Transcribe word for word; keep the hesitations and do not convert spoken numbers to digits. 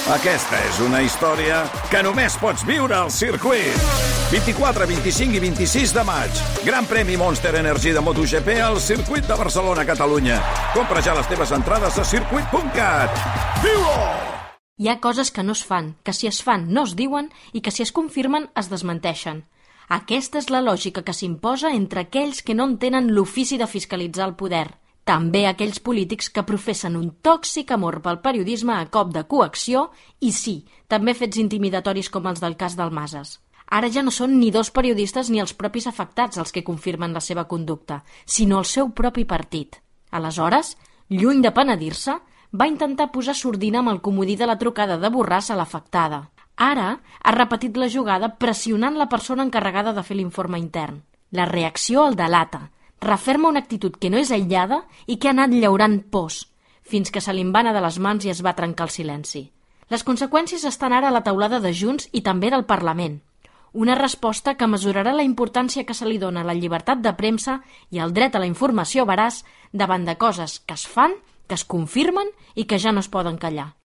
Aquesta és una història que només pots viure al circuit. vint-i-quatre, vint-i-cinc i vint-i-sis de maig. Gran premi Monster Energy de MotoGP al circuit de Barcelona, Catalunya. Compra ja les teves entrades a circuit punt cat. Viu-ho! Hi ha coses que no es fan, que si es fan no es diuen i que si es confirmen es desmenteixen. Aquesta és la lògica que s'imposa entre aquells que no entenen l'ofici de fiscalitzar el poder. També aquells polítics que professen un tòxic amor pel periodisme a cop de coacció i sí, també fets intimidatoris com els del cas del Masas. Ara ja no són ni dos periodistes ni els propis afectats els que confirmen la seva conducta, sinó el seu propi partit. Aleshores, lluny de penedir-se, va intentar posar sordina amb el comodí de la trucada de Borràs a l'afectada. Ara ha repetit la jugada pressionant la persona encarregada de fer l'informe intern. La reacció el delata. Referma una actitud que no és aïllada i que ha anat llaurant pors, fins que se li en va anar de les mans i es va trencar el silenci. Les conseqüències estan ara a la taulada de Junts i també del Parlament. Una resposta que mesurarà la importància que se li dona a la llibertat de premsa i al dret a la informació veraç davant de coses que es fan, que es confirmen i que ja no es poden callar.